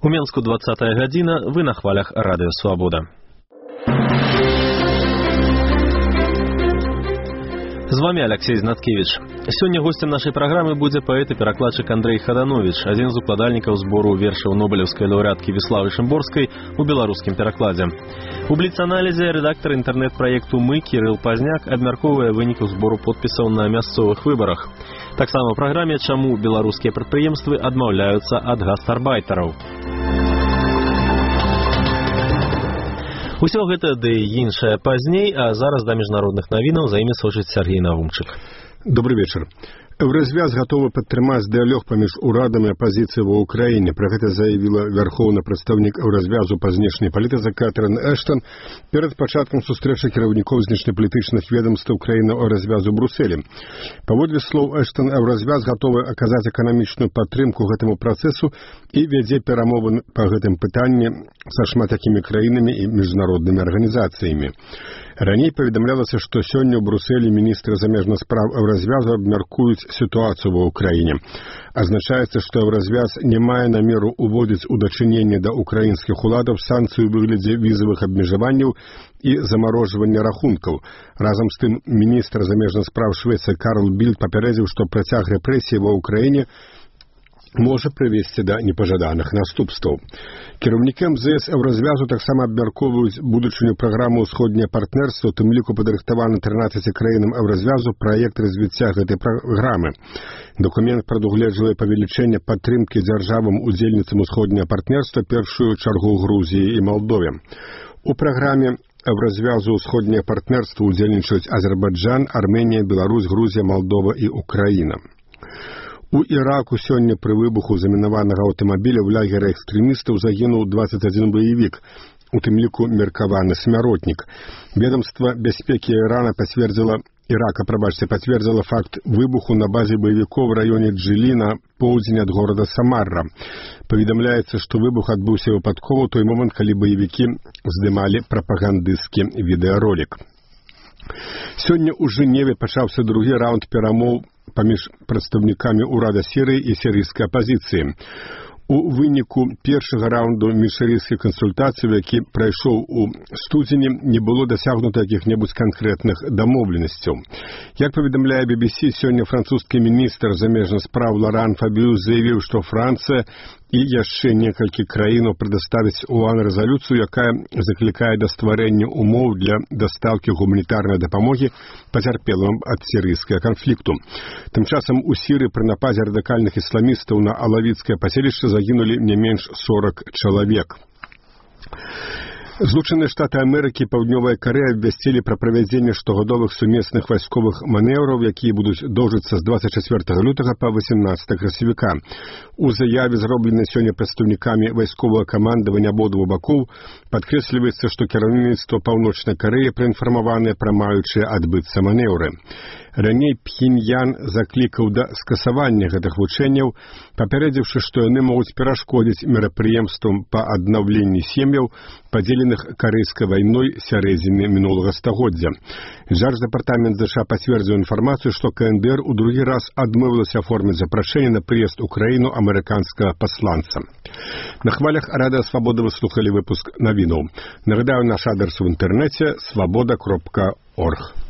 У Менску 20-я гадзіна, вы на хвалях Радыё Свабода. З вами Алексей Знаткевич. Сёння гостем нашай праграмы будзе паэт і перакладчык Андрэй Хаданович, адзін з укладальнікаў збору вершаў нобелеўскай лаўрэаткі Віславы Шымборскай у беларускім перакладзе. У бліц-аналізе рэдактар інтэрнэт-праекту «Мы» Кірыл Пазняк абмяркоўвае выніку збору подпісаў на мясцовых выбарах. Таксама ў праграме «Чаму беларускія прадпрыемствы адмаўляюцца ад гастарбайтараў». Усё гэта ды іншае пазней, а зараз да міжнародных навінаў за імі сочыць Сергей Навумчык. Добрый вечер. Еўразвяз гатовы падтрымаць дыялог паміж урадам і апазіцыяй ва ўкраіне. Пра гэта заявіла вярхоўны прадстаўнік Еўразвязу па знешняй палітыцы Кэтрын Эштон перад пачаткам сустрэчы кіраўнікоў знешнепалітычных ведомстваў краінаў Еўразвязу ў Брусэлі. Паводле слоў Эштон, Еўразвяз гатовы аказаць эканамічную падтрымку гэтаму працэсу і вядзе перамовы па гэтым пытанні са шматлікімі краінамі і міжнароднымі арганізацыямі. Раней паведамлялася, што сёння ў Брусэлі міністры замежных спраў Еўразвязу абмяркуюць сітуацыю ва ўкраіне. Азначаецца, што Еўразвяз не мае намеру ўводзіць у дачыненне да украінскіх уладаў санкцыі ў выглядзе візавых абмежаванняў і замарожвання рахункаў. Разам з тым, міністр замежных спраў Швецыі Карл Більд папярэдзіў, што працяг рэпрэсій ва ўкраіне можа прывесці да непажаданых наступстваў. Кіраўнікі МЗС Еўразвязу таксама абмяркоўваюць будучыню праграмы «Усходняе партнерства», у тым ліку падрыхтаваны 13 краінам Еўразвязу праект развіцця гэтай праграмы. Дакумент прадугледжвае павелічэнне падтрымкі дзяржавам удзельніцам усходняе партнерства, першую чаргу Грузіі і Малдове. У праграме Еўразвязу «Усходняе партнерства» удзельнічаюць Азербайджан, Арменія, Беларусь, Грузія, Малдова і Украіна. У Іраку сёння пры выбуху замінаванага аўтамабіля ў лагеры экстрэмістаў загінуў 21 баевік, у тым ліку меркаваны смяротнік. Ведомства бяспекі Ирака пацвердзіла факт выбуху на базе баевікоў у раёне Джылі на поўдзень ад горада Самарра. Паведамляецца, што выбух адбыўся выпадкова ў той момант, калі баевікі здымалі прапагандысцкі відэаролік. Сёння ў Жэневе пачаўся другі раунд перамоў паміж прадстаўнікамі ўрада Сірыі і сірыйскай апазіцыі. У выніку першага раунду міжсірыйскіх кансультацый, які прайшоў у студзені, не было дасягнута якіх-небудзь канкрэтных дамоўленасцяў. Як паведамляе BBC, сёння французскі міністр замежных спраў Лоран Фабіус заявіў, што Францыя і яшчэ некалькі краінаў прадставіць ООН рэзалюцыю, якая заклікае да стварэння умоў для дастаўкі гуманітарнай дапамогі пацярпелым ад сірыйскага канфлікту. Тым часам у Сірыі пры нападзе радыкальных ісламістаў на алавіцкае паселішча загінулі не менш 40 чалавек. Злучаныя Штаты Амерыкі і Паўднёвая Карэя абвясцілі пра правядзенне штогадовых сумесных вайсковых манеўраў, якія будуць доўжыцца з 24 лютага па 18 красавіка. У заяве, зробленай сёння прадстаўнікамі вайсковага камандавання абодвух бакоў, падкрэсліваецца, што кіраўніцтва Паўночнай Карэі праінфармаванае пра маючыя адбыцца манеўры. Раней Пхеньян заклікаў да скасавання гэтых вучэнняў, папярэдзіўшы, што яны могуць перашкодзіць мерапрыемствам па аднаўленні сем'яў, падзеленых карэйскай вайной сярэдзіны мінулага стагоддзя. Дзярждэпартамент ЗША пацвердзіў інфармацыю, што КНДР у другі раз адмовілася аформіць запрашэнне на прыезд у краіну амерыканскага пасланца. На хвалях Радыё Свабода вы слухалі выпуск навінаў. Нагадаю, наш адрес у інтэрнэце свабода.орг.